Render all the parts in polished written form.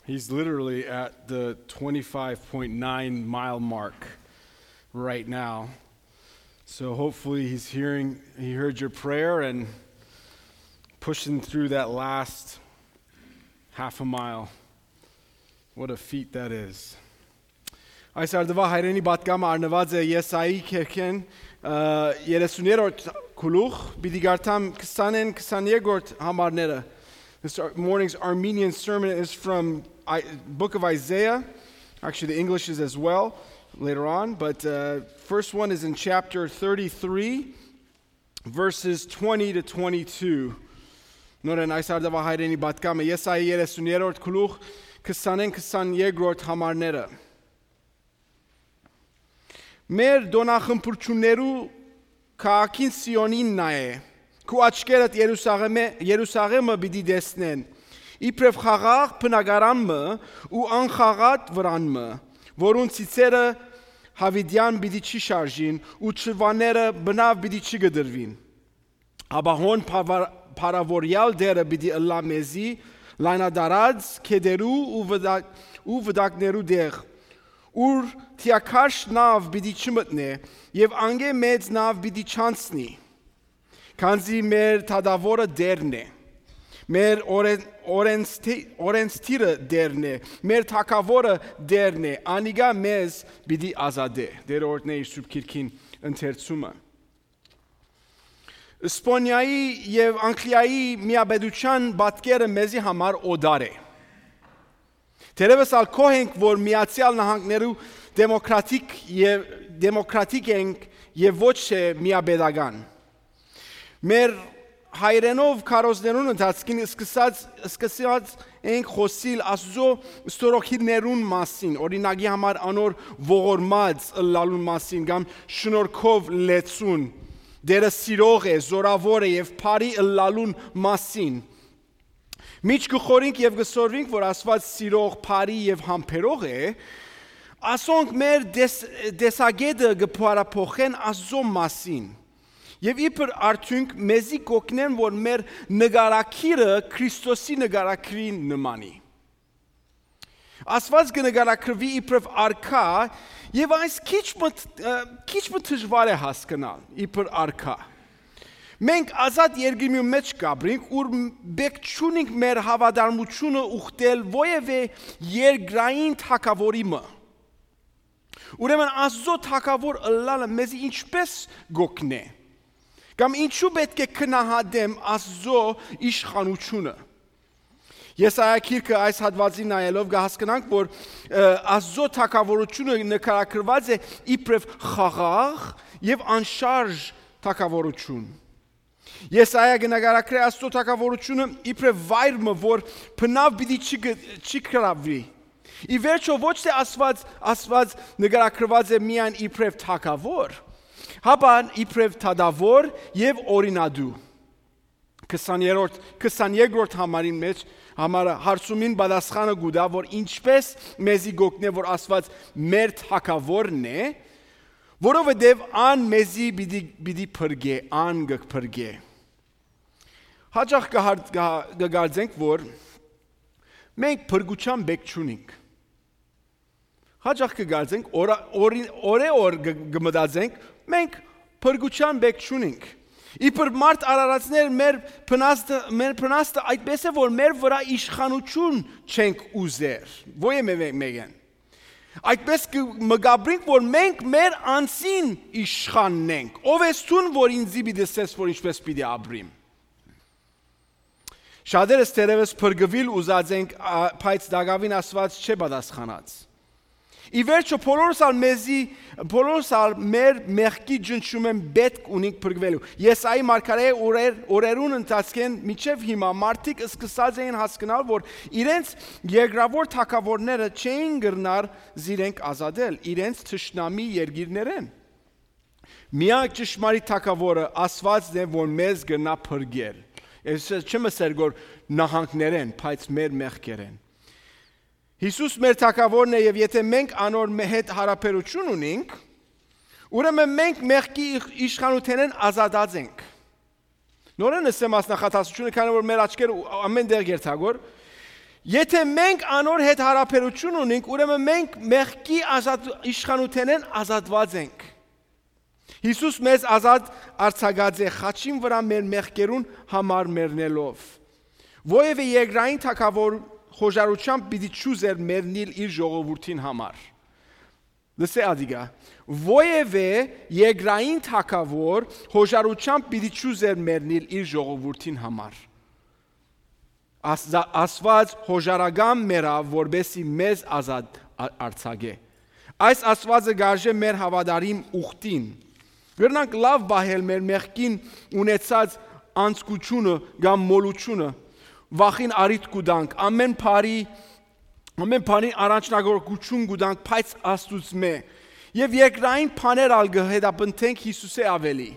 He's literally at the 25.9 mile mark right now. So hopefully he heard your prayer and pushing through that last half a mile. What a feat that is. Այս արդվա հայրենի պատգամը արնված է Եսայի քերքեն 30-րդ գլուխ, պիտի գարտամ 20-22-րդ համարները. This morning's Armenian sermon is from book of Isaiah. Actually, the English is as well later on, but first one is in chapter 33, verses 20 to 22. Նորեն այս արդվա հայրենի պատգամը Եսայի 30-րդ գլուխ 20-22-րդ համարները. Մեր դոնախմբուրչուններու քաղաքին Սիոնին նայե, քու աչքերդ Երուսաղեմը պիտի տեսնեն, իբրև խաղաղ բնակարանը ու անխաղատ վրանը, որոնց ցիցերը հավիդյան պիտի չի շարժին ու չվաները բնավ պիտի չգդրվին, ապահոն փարավորյալ դերը պիտի ըլլա մեզի, լայնադարած քեդերու ու վդակներու դեղ, ուր թիակաշ նավ պիտի չմտնե և անգե մեծ նավ պիտի չանցնի, քանզի մեր թադավորը դերն է, մեր օրենսթիրը դերն է, մեր թագավորը դերն է, անիգա մեզ պիտի ազատե, դերորդն է իր սուրբ քիրքին ընթերցումը. Իսպանիայի և Անգլիայի միաբեդության պատկերը մեզի համար օդար է. Թերևս ալքոհ ենք, որ Միացյալ Նահանգներու դեմոկրատիկ ենք և ոչ է միաբեդական. Մեր հայրենով քարոզներուն ընթացքին սկսած ենք խոսիլ Աստծո ստորոգիներուն մասին, օրինակի համար անոր ողորմած ըլլալուն մասին, կամ շնորհքով լեցուն, դերը սիրող է, զորավոր է և բարի ըլլալուն մասին. Միջ գխորինք և գսորվինք, որ Աստված սիրող, բարի և համբերող է, ասոնք մեր դեսագետը գփարափոխեն Աստծո մասին. Եվ իբր արդյունք մեզի կօգնեն, որ մեր նկարակիրը Քրիստոսի նկարակիրին նմանի. Աստված կնկարագրվի իբրև արքա, և այս քիչ դժվար է հասկանալ իբր արքա. Մենք ազատ երկրի մեջ կապրինք, ուր բեք չունենք մեր հավատարմությունը ուխտել որևէ երկրային թագավորի մը. Ուրեմն Աստծո թագավոր ըլլալը մեզի ինչպես գօգնե, կամ ինչու պետք է քննադեմ Աստծո իշխանությունը. Եսայա գիրքը այս հատվածին նայելով կհասկանանք, որ Աստծո թագավորությունը նկարագրված է իբրև խաղաղ և անշարժ թագավորություն. Եսայա կնկարագրի Աստծո թագավորությունը իբրև վայրը, որ բնավ պիտի չի կրավվի. Ի վերջո ոչ թե Աստված նկարագրված է միայն իբրև թագավոր, հապա իբրև թադավոր և օրինադու. 22-րդ համարին մեջ համարը հարցումին պատասխանը գուտա, որ ինչպես մեզի գօգնե, որ Աստված մեր թագավորն է, որովհետև ան մեզի պիտի փրկե, ան կփրկե. Հաճախ կգարձենք, որ մենք փրկության բեք չունենք. Հաճախ կգարձենք, օր կմտածենք, մենք փրկության բեք չունենք. Իբր մարդ արարածներ մեր փնաստը այդպես է, որ մեր վրա իշխանություն չենք ուզեր, ոչ մեկեն. Այդպես կմգաբրինք, որ մենք մեր անձին իշխանն ենք, ով ես տուն, որ ինձի պիտի սես, որ ինչպես պիտի ապրիմ. Շատերս թերևս փրկվել ուզած ենք, բայց դակավին Աստված չէ պատասխանած. Ի վերջո բոլորս մեր մեղքի ջնջում են պետք ունենք փրկվելու. Եսայի մարգարեի օրերուն ընթացքեն մինչև հիմա մարդիկ սկսած էին հասկանալ, որ իրենց երկրավոր թագավորները չէին գրնար զիրենք ազատել, իրենց թշնամի երկիրներեն. Միակ ճշմարիտ թագավորը Աստվածն է, որ մեզ գնա փրկել. Չեմ ասել, որ նահանգներեն, բայց մեր մեղքերեն. Հիսուս մեր թագավորն է, և եթե մենք անոր հետ հարաբերություն ունենք, ուրեմն մենք մեղքի իշխանութենեն ազատած ենք. Նորեն ասեմ այս նախատասությունը, քանի որ մեր աչքերը ամեն տեղ երթագոր, Եթե մենք անոր հետ հարաբերություն ունենք, ուրեմն մենք մեղքի իշխանութենեն ազատված ենք։ Հիսուս մեզ ազատ արձակած է խաչին վրա մեր մեղքերուն համար մեռնելով։ Ովևէ երկրային թագավոր խոժարությամբ պիտի չուզեր մեռնել իր ժողովրդին համար։ Լսե ադիգա, ովևէ երկրային թագավոր խոժարությամբ պիտի չուզեր մեռնել իր ժողովրդին համար։ Աստված հոժարագամ մեռավ, որբեսի մեզ ազատ արձակե։ Այս Աստվածը գարժե մեր հավատարիմ ուխտին։ Գրնանք լավ բահել մեր մեղքին ունեցած անցկությունը կամ մոլությունը, վախին արիտ կուտանք, ամեն բանի առաջնագործություն կուտանք, բայց Աստծո եւ երկրային բաներ ալ գհետապնդենք Հիսուսի ավելի։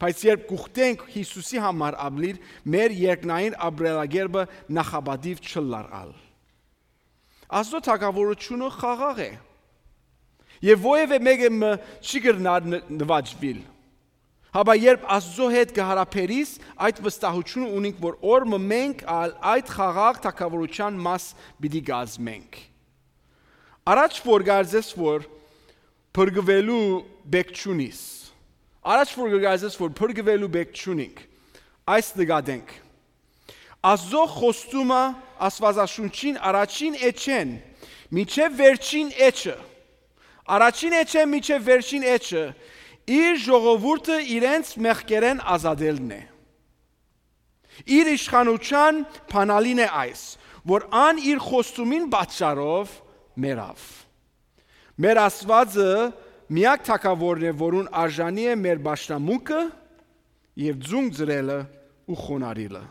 Բայց երբ կուխտենք Հիսուսի համար ապրիլ, մեր երկնային ապրելակերպը նախաբադիվ չլարալ։ Աստծո թագավորությունը խաղաղ է։ Եվ ովևէ մեկը չի կրնար նվաճվել։ Հաբա երբ Աստծո հետ կհարաբերիս, այդ վստահությունը ունենք, որ օրը մենք այդ խաղաղ թագավորության մաս պիտի կազմենք։ Առաջ որ գարձես որ փրկվելու բեք չունիս։ Առաջ որ գարձես որ փրկվելու բեք չունենք։ Այս նկատենք։ Աստծո խոստումը Աստվածաշունչին առաջին էջեն, մինչև վերջին էջը։ Առաջին էջը մինչև վերջին էջը իր ժողովուրդը իրենց մեղքերեն ազատելն է։ Իր իշխանության փանալին է այս, որ ան իր խոստումին պատճառով մեռավ։ Մեր Աստվածը միակ թագավորն է, որուն արժանի է մեր պաշտամունքը եւ ձունգ ծրելը ու խոնարհիլը։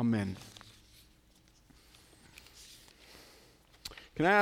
Ամեն։